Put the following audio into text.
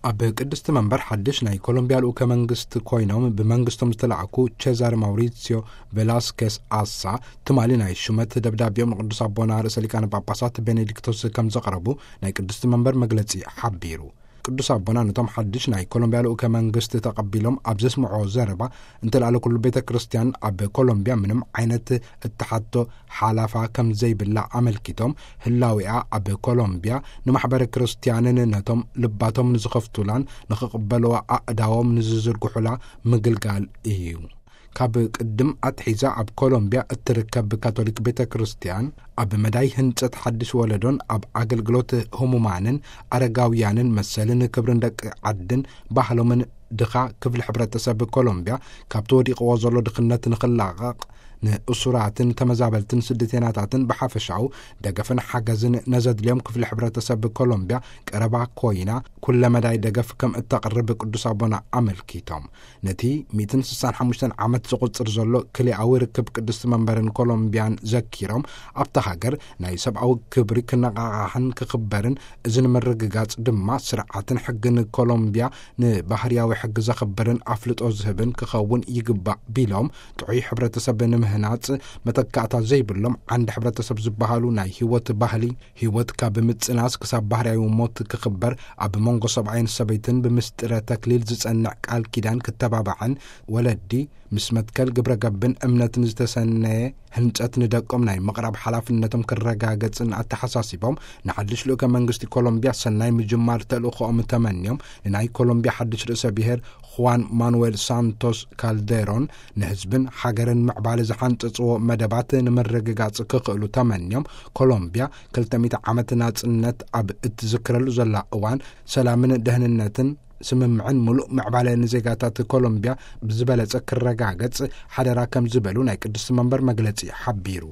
ኣብ ቅድስቲ መንበር ሓድሽ ናይ ኮሎምቢያ ልኡከ መንግስቲ ኮይኖም ብመንግስቶም ዝተላእኩ ቼዛር ማውሪሲዮ ቬላስኬስ ኣሳ፣ ትማሊ ናይ ሹመት ደብዳቤኦም ንቅዱስ ኣቦና ርእሰ ሊቃነ ጳጳሳት ቤኔዲክቶስ ከም ዘቕረቡ ናይ ቅድስቲ መንበር መግለጺ ሓቢሩ። ቅዱስ ኣቦና ነቶም ሓድሽ ናይ ኮሎምቢያ ልኡከ መንግስቲ ተቐቢሎም ኣብ ዘስምዖ ዘረባ፣ እንተልኣለ ኩሉ ቤተ ክርስቲያን ኣብ ኮሎምቢያ ምንም ዓይነት እተሓቶ ሓላፋ ከም ዘይብላ ኣመልኪቶም፣ ህላዊኣ ኣብ ኮሎምቢያ ንማሕበረ ክርስቲያንን ነቶም ልባቶም ንዝኸፍቱላን ንኽቕበልዋ ኣእዳዎም ንዝዝርግሑላ ምግልጋል እዩ። ካብ ቅድም ኣትሒዛ ኣብ ኮሎምቢያ እትርከብ ካቶሊክ ቤተ ክርስቲያን፣ ኣብ መዳይ ህንጸት ሓድሽ ወለዶን ኣብ ኣገልግሎት ህሙማንን ኣረጋውያንን መሰልን ክብርን ደቂ ዓድን ባህሎምን ድኻ ክፍሊ ሕብረተሰብ ኮሎምቢያ ካብቲ ወዲቕዎ ዘሎ ድኽነት ንኽላቐቕ፣ ንእሱራትን ተመዛበልትን ስደተኛታትን ብሓፈሻኡ ደገፍን ሓገዝን ነዘድልዮም ክፍሊ ሕብረተሰብ ኮሎምቢያ ቀረባ ኮይና፣ ኩለ መዳይ ደገፍ ከም እተቕርብ ቅዱስ ኣቦና ኣመልኪቶም። ነቲ ሚእትን ስሳን ሓሙሽተን ዓመት ዝቑጽር ዘሎ ክልኣዊ ርክብ ቅድስቲ መንበርን ኮሎምቢያን ዘኪሮም፣ ኣብታ ሃገር ናይ ሰብኣዊ ክብሪ ክነቓቓሕን ክኽበርን፣ እዚ ንምርግጋጽ ድማ ስርዓትን ሕግን ኮሎምቢያ ንባህርያዊ ሕጊ ዘኽብርን ኣፍልጦ ዝህብን ክኸውን ይግባእ ቢሎም፣ ጥዑይ ሕብረተሰብ ንምህናጽ መተካእታ ዘይብሎም ዓንዲ ሕብረተሰብ ዝበሃሉ ናይ ህይወት ባህሊ፣ ህይወት ካብ ምጽናስ ክሳብ ባህርያዊ ሞት ክኽበር፣ ኣብ መንጎ ሰብኣይን ሰበይትን ብምስጢረ ተክሊል ዝጸንዕ ቃል ኪዳን ክተባባዕን፣ ወለዲ ምስ መትከል ግብረ ገብን እምነትን ዝተሰነየ ህንጸት ንደቆም ናይ ምቕራብ ሓላፍነቶም ክረጋገጽን ኣተሓሳሲቦም፣ ንሓድሽ ልኡከ መንግስቲ ኮሎምቢያ ሰናይ ምጅማር ተልእኾኦም ተመንዮም፣ ንናይ ኮሎምቢያ ሓድሽ ርእሰ ብሔር ኹዋን ማኑዌል ሳንቶስ ካልዴሮን፣ ንህዝብን ሃገርን ምዕባለ ዝሓንጸጽዎ መደባት ንምርግጋጽ ክኽእሉ ተመንዮም፣ ኮሎምቢያ ክልተ ሚእቲ ዓመት ናጽነት ኣብ እትዝክረሉ ዘላ እዋን፣ ሰላምን ደህንነትን ስምምዕን ምሉእ ምዕባለ ንዜጋታት ኮሎምቢያ ብዝበለጸ ክረጋገጽ ሓደራ ከም ዝበሉ ናይ ቅድስቲ መንበር መግለጺ ሓቢሩ።